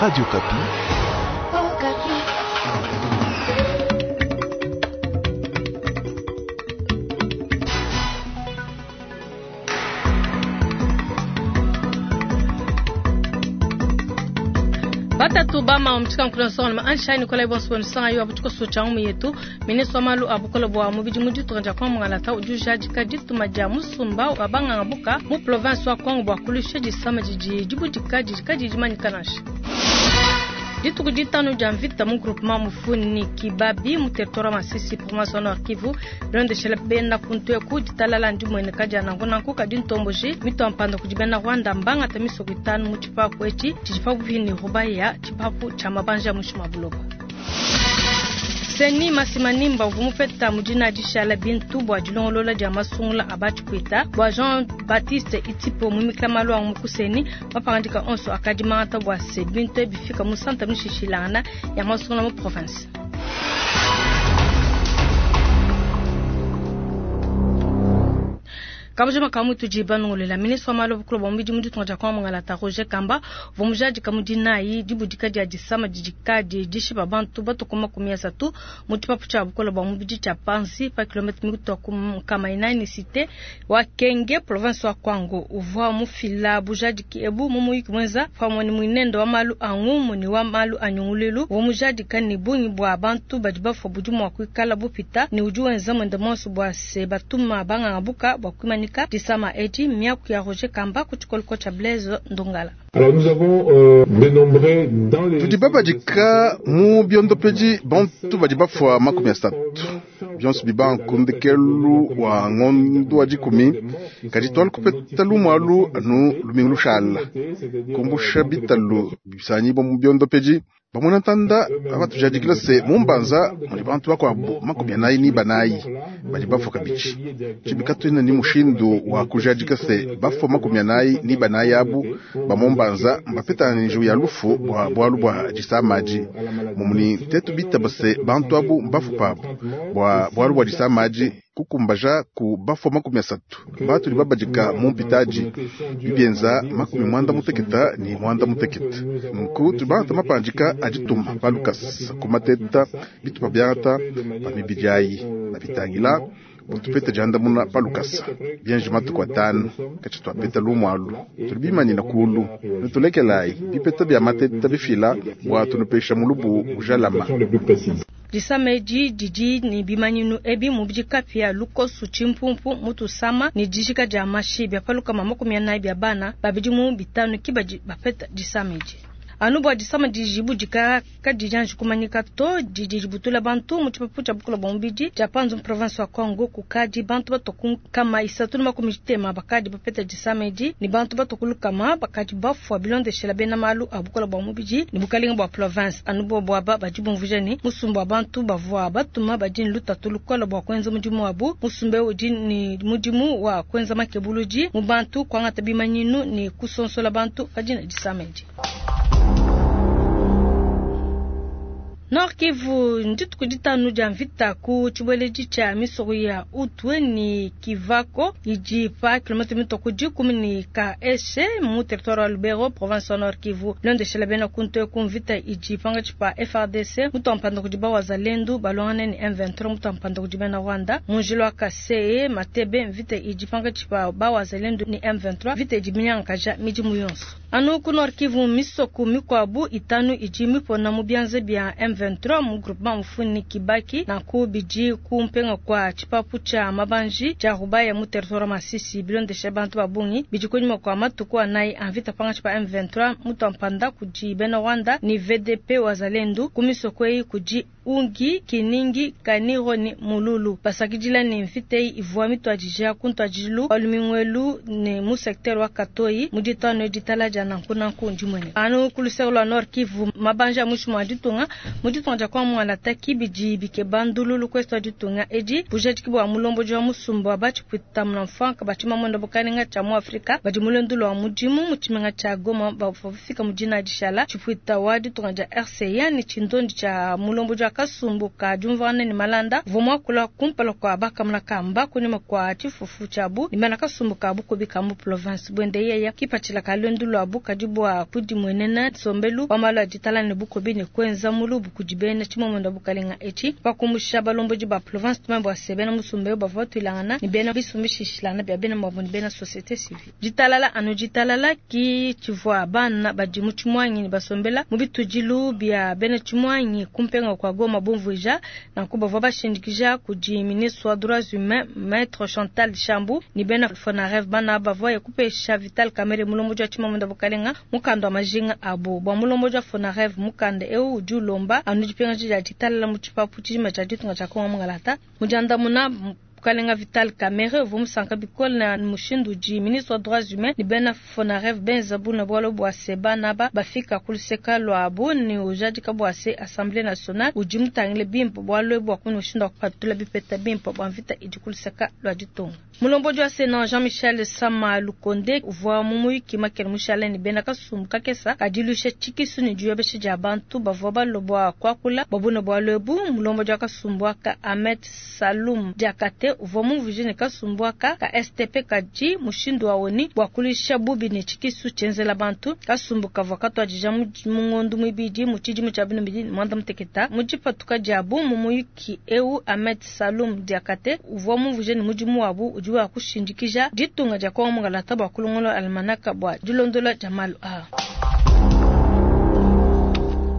Radio Okapi. Batatu bama mutshika nkuna songana ma ansha Nikolai bonso sanga yo abutuko socha mu yetu ministre wa malu a bukole bua mubidi mu ditunga dia Kongo Mungalata udi ujadika dituma dia musumba wa banganga buka mu province wa Kongo bua kulusha disama didi dibudika didi kadiyi dimanyika nansha. Dituku ditanu dia mvita mu groupement Mufuni Kibabi mu territoire wa Masisi province wa Nord Kivu bilondeshela bena kuntu eku ditalala ndimueneka dia nanku nanku kadi ntomboji mitua mpanda kudi bena Rwanda mbangata misoko itanu mu tshipapu etshi tshidi pabuipi ne Rubaya tshipapu tshia mabanji a muinshi mua buloba. Seni Masimanimba uvua mupeta mu dina dishala bintu bua dilongolola dia masungula a batshipwita bua Jean Baptiste Itipo muimikila malu a mu kuseni mapangadika onso akadi mangata bua se bintu ebi bifika mu santa mishishilangana ya masungula mu province. Kabujima ka mutudi banungulela ministre wa malu a bukulu bua mubidi mu ditunga dia Kongo Mungalata Roger Kamba uvua mujadika mu dinayi dibudika dia disama didi kadi dishipa bantu batue ku 30 mu tshipapu tshia bukole bua mubidi tshia Panzi pa kilometre mitua ku 400 ne cite wa Kenge province wa Kwango. Uvua mufila bujadiki ebu mu muyuki muenza pamue ne muinende wa malu a ngumu ne wa malu a nyunguluilu. Uvua mujadika ne bungi bua bantu badi bafua budi mua kuikala bupita ne udi wenza muende muonso bua se batuma banganga buka bua kuimanyika disama edi. Miaku ya Roger Kamba ku tshikoloko tshia Blaise Ndongala. Alors nous avons dénombré dans les Tudi babadika mu biondopedi bantu badi bafua 30 bionso bibanku ndekelu wa ngondo wa dikumi kadi twala kupeta lumwalu anu lumingu lushala kumbusha bitalu bisanyibwa mu biondopedi bamona ntanda abatujadikila se mumbanza muli bantu bakuabu 44 badi bafua kabidi tshibika twina ni mushindu wa kujadika se bafua 44 abu ba mumbanza mbapetana njiwu ya lufu bua bualu bua disamaji mumuni tetu bitaba se bantu abu mbafu pabu bua bualu bua disamaji kukumbaja ku bafua 30 batuli babadika mu mpitaji bibienza 98 nunku tubangata mapandika adituma palukasa kumateta bitupa byangata pa mibidi ayi na bitangila butupete diandamuna palukasa bienji matuku atanu katshi twapeta lumwalu tuli bimanyina kulu nitulekelayi bipeta bya mateta bifila bua tunupesha mulubu ujalama. Disama edi didi ne bimanyinu ebi mubidi kapia lukosu tshimpumpu mutusama ne dijika dia mashi bia palukama 40 bia bana babidi mu bitanu kibadi bapeta disama edi. Anu bua disama didi kadiyi anji kumanyika to didi dibutula bantu mu tshipapu tshia bukole bua mubidi tshia Panzu mu province wa Kwango kukadi bantu batua ku 330 bakadi bapeta disama edi ne bantu batua ku lukama bakadi bafua bilondeshela bena malu a bukole bua mubidi ne bukalenga bua province. Anu bobu aba badi bumvuija ne musumba wa bantu bavua batuma badi ne lutatu lukole bua kuenza mudimu wabu. Musumba eu udi ne mudimu wa kuenza makebuludi mu bantu, kuangata bimanyinu ne kusonsola bantu badi ne disama edi. Nord Kivu ndituku ditanu dia mvita ku tshibueledi tshia misoko ya Utwe ne Kivako idi pa kilometre mitua ku dikumi ne Kaeshe mu territoire wa Lubero province wa Nord Kivu. Bilondeshela bena kuntu eku mvita idi pangatshi pa FARDC mutua mpanda kudi ba Wazalendo balongane ne M23 mutua mpanda kudi bena Rwanda mu njila wa Kaseye Matebe. Mvita idi pangatshi pa ba Wazalendo ne M23 mvita idi minyangaja midimu yonso. Anu ku Nord Kivu misoko mikuabu itanu idi mipona mu bianza bia M23 mu groupement Mufuni Kibaki na ku bidi ku mpenga kwa tshipapu tshia mabanji tshia Rubaya mu territoire Masisi bilondesha bantu ba bungi bidi kunyima kwa matuku anayi a mvita pangatshi pa M23 mutua mpanda kudi bena Rwanda ni VDP Wazalendo ku misoko eyi kudi Ungi, Kiningi, Kaniro ni Mululu. Basakidila ne mvita eyi ivua mituadija ku ntuadijilu wa lumingwelu ne mu secteur wa Katoyi mu ditanu ditala dia nanku nanku ndimwene. Anu ku luseke lua Nord Kivu mabanja a muinshi mua ditunga Mu ditunga dia Kongo mualata ki bidi bikeba ndululu ku est wa ditunga edi. Bujadiki bua mulombodi wa musumba wa ba tshipuita munamfuanka ba tshimamunda bukalenga tshia mu Afrika badi mu luendu lua mudimu mu tshimenga tshia Goma bavua bafika mu dina dishala. Tshipuita wa ditunga dia RCA ne tshindondi tshia mulombodi wa kasumbu ka diumvuangana ne malanda uvua muakula kumpala kua ba kamuna kamba kunyima kua tshifufu tshiabu ne bena kasumbu ka bukubi ka mu province. Buende yeya kipatshila ka luendu luabu kadi bua kudimuenena nsombelu wa malu a ditalala ne bukubi ne kuenza mulubu kudi bena tshimomunda bukalenga etshi. Pa kumusha balombodi ba province tumanye bua se bena musumba eu bavua batuilangana ne bena bisumbu bishilashilangana bia bena muabu ne bena societe civile. Ditalala anu ditalala ki tshivua bana badi mu tshimuangi ne basombela mu bitudilu bia bena tshimuangi ku mpenga kua Goma bumvuija. Nanku bavua bashindikija kudi ministre wa droits humains Maitre Chantal Shambu ne bena Fonarev bana bavua kupesha Vital Kamerhe mulombodi wa tshimamunda bukalenga mukanda wa majinga abu. Bua mulombodi wa Fonarev mukanda eu udi ulomba anu dipingaja dia ditalala mu tshipapu tshijima tshia ditunga tshia Kongo mungalata. Mu diandamuna Mukalenga Vital Kamerhe uvua musanka bikole na mushindu udi ministre wa droits humains ne bena Fonarev benza buna bualu bua se bana aba bafika ku luseka luabu ne ujadika bua se Assemblee nationale udi mutangile bimpe bualu ebu bua kumona mushindu wa kupatula bipeta bimpe bua mvita idi ku luseka lua ditunga. Mulombodi wa Senat Jean-Michel Sama Lukonde uvua mu muyuki makele mushale ne bena kasumbu kakesa ka diluisha tshikisu ne diyobesha dia bantu bavua balue bua kuakula bua bune bualu ebu. Mulombodi wa kasumbu aka Ahmed Salum Diakate uvua mumvuije ne kasumbu aka ka STP kadi mushindu wa ONU bua kuluisha bubi ne tshikisu tshienzela bantu. Kasumbu kavua katuadija mu ngondo muibidi mu tshidimu tshia 2016. Mu dipatuka diabu mu muyuki eu, Ahmed Salum Diakate uvua mumvuije ne mudimu wabu udi wa kushindikija ditunga dia Kongo mungalata bua kulongolola almanaka bua dilondola dia malu aa.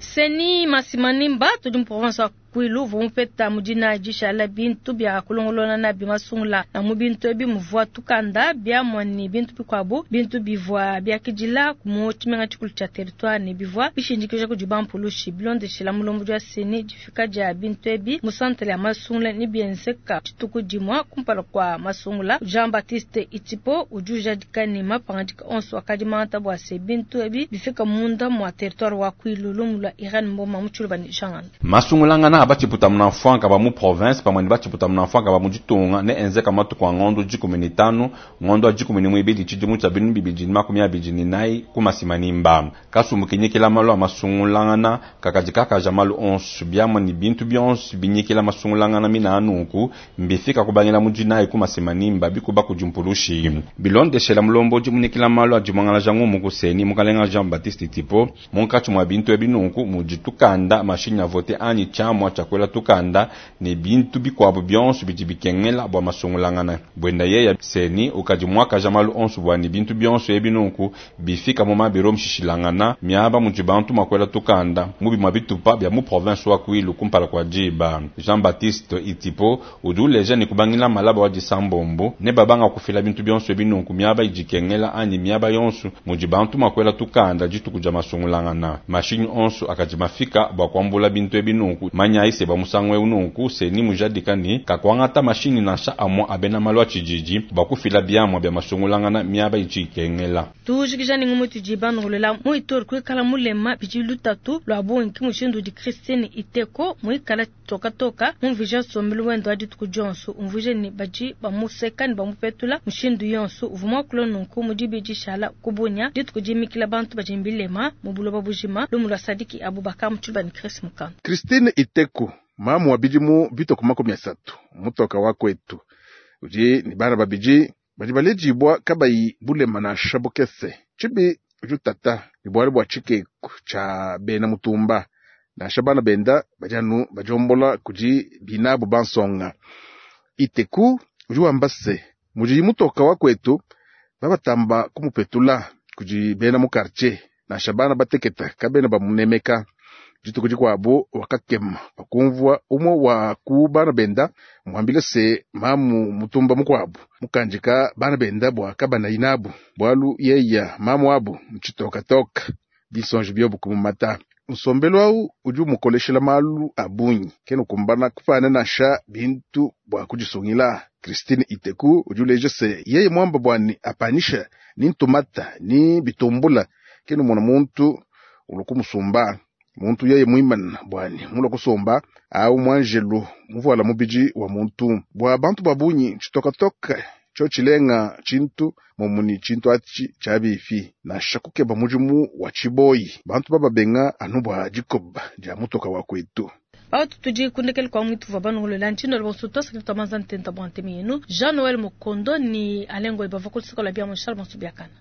Seni Masimanimba tudi mu province wa Kwilu uvua mupeta mu dina dishala bintu bia kulongolola nabi masungula. Na mu bintu ebi muvua tukanda, biamua ne bintu bikuabu. Bintu bivua biakidila mu tshimenga tshikulu tshia territoire ne bivua bishindikija kudi bampulushi. Bilondeshila mulombodi wa Seni, difika dia bintu ebi mu centre ya masungula ne bienzeka dituku dimua kumpala kua masungula. Jean-Baptiste Itipo udi ujadika ne mapangadika onso akadi mangata bua se bintu ebi bifika munda mua territoire wa Kwilu. Lumu lua Irene Mboma mu Tshiluba ne Jean Ngando. Masungulangana a batshiputa munamfuanka ba mu province pamue ne batshiputa munamfuanka ba mu ditunga ne enzeka matuku a ngondo 15 ngondo wa 12 tshidimu tshia 2024 ku Masimanimba. Kasumbu kinyikila malu a masungulangana kakadi kakaja malu onso biamua ne bintu bionso binyikila masungulangana mina anunku mbifika kubangila mu dinayi ku Masimanimba bikuba kudi mpulushi. Bilondeshela mulombodi munyikila malu a dimuangalaja ngumu ku Seni mukalenga Jean Baptiste Tipo munkatshi mua bintu ebi nunku mudi tukanda mashinyi a vote anyi tshiamua tshia kuela tukanda ne bintu bikuabu bionso bidi bikengela bua masungulangana. Buenda yeya Seni ukadi muakaja malu onso bua ne bintu bionso ebi nunku bifika mu mabiro mshishilangana miaba mudi bantu mua kuela tukanda mu bimue bitupa bia mu province wa Kwilu kumpala kua diba. Jean Baptiste Itipo udi uleja ne kubangila malaba wa disambombo ne babanga kufila bintu bionso ebi nunku miaba idi ikengela anyi miaba yonso mudi bantu mua kuela tukanda dituku dia masungulangana. Mashinyi onso akadi mafika bua kuambula bintu ebi nunku manyayi se bua musangu eu nunku Seni mujadika ne kakuangata mashinyi nansha amua a bena malu a tshididi bua kufila biamua bia masungulangana miaba idi ikengela. Tujikija ne ngumu itudi banongolola mu Ituri kuikala mulema bidi lutatu lua bungi ki mushindu udi Christine Iteko muikala tokatoka mumvuija nsombelu wende wa dituku dionso. Umvuije ne badi bamuseka ne bamupetula mushindu yonso. Uvua muakula nunku mu dibidi dishala ku Bunia dituku dimikila bantu badi ne bilema mu buloba bujima. Lumu lua Sadiki Abubakar mu Tshiluba ne Chris Mukanda. Christine Iteko mamu wa bidimu bitue ku 30 mutoka wa kwetu udi ne bana babidi badi baledibua kabayi bulema nansha bukese. Tshibi udi utata ne bualu bua tshikeku tshia bena mutumba nansha bana benda badi anu badiombola kudi binabu bansonga. Iteku udi wamba se mudi mutoka wa kwetu babatamba kumupetula kudi bena mu quartier nansha bana bateketa kabena bamunemeka. Dituku dikuabu wakakema pakumvua umue wa ku bana benda muambile se mamu mutumba mukuabu mukandika bana benda bua kabanayi nabu bualu yeya mamu abu ntshitokatoka binsonji biobu kumumata. Nsombelu au udi umukoleshela malu a bungi kena ukumbana kupana nansha bintu bua kudisungila. Christine Iteku udi uleja se yeye muamba buani apanisha ni ntumata ni bitumbula kena umona muntu ulu kumusumba. Muntu yeye muimana buanyi mulua kusomba, awu muanjelu muvuala mubidi wa muntu. Bua bantu ba bungi tshitokatoka tsho tshilenga tshintu momuni tshintu atshi tshia bifi. Nansha kukeba mudimu wa tshiboyi, bantu bababenga anu bua dikoba dia mutoka wa kwetu. Bawutu tudi kundekele kwa mwitu vwa banongolola ntshindo bonso twasakile twamanza ntenta bwa ntemi yenu Jean Noël Mukondo ni Alengo bava kulusaka lwa bia Charles Bonso biakana.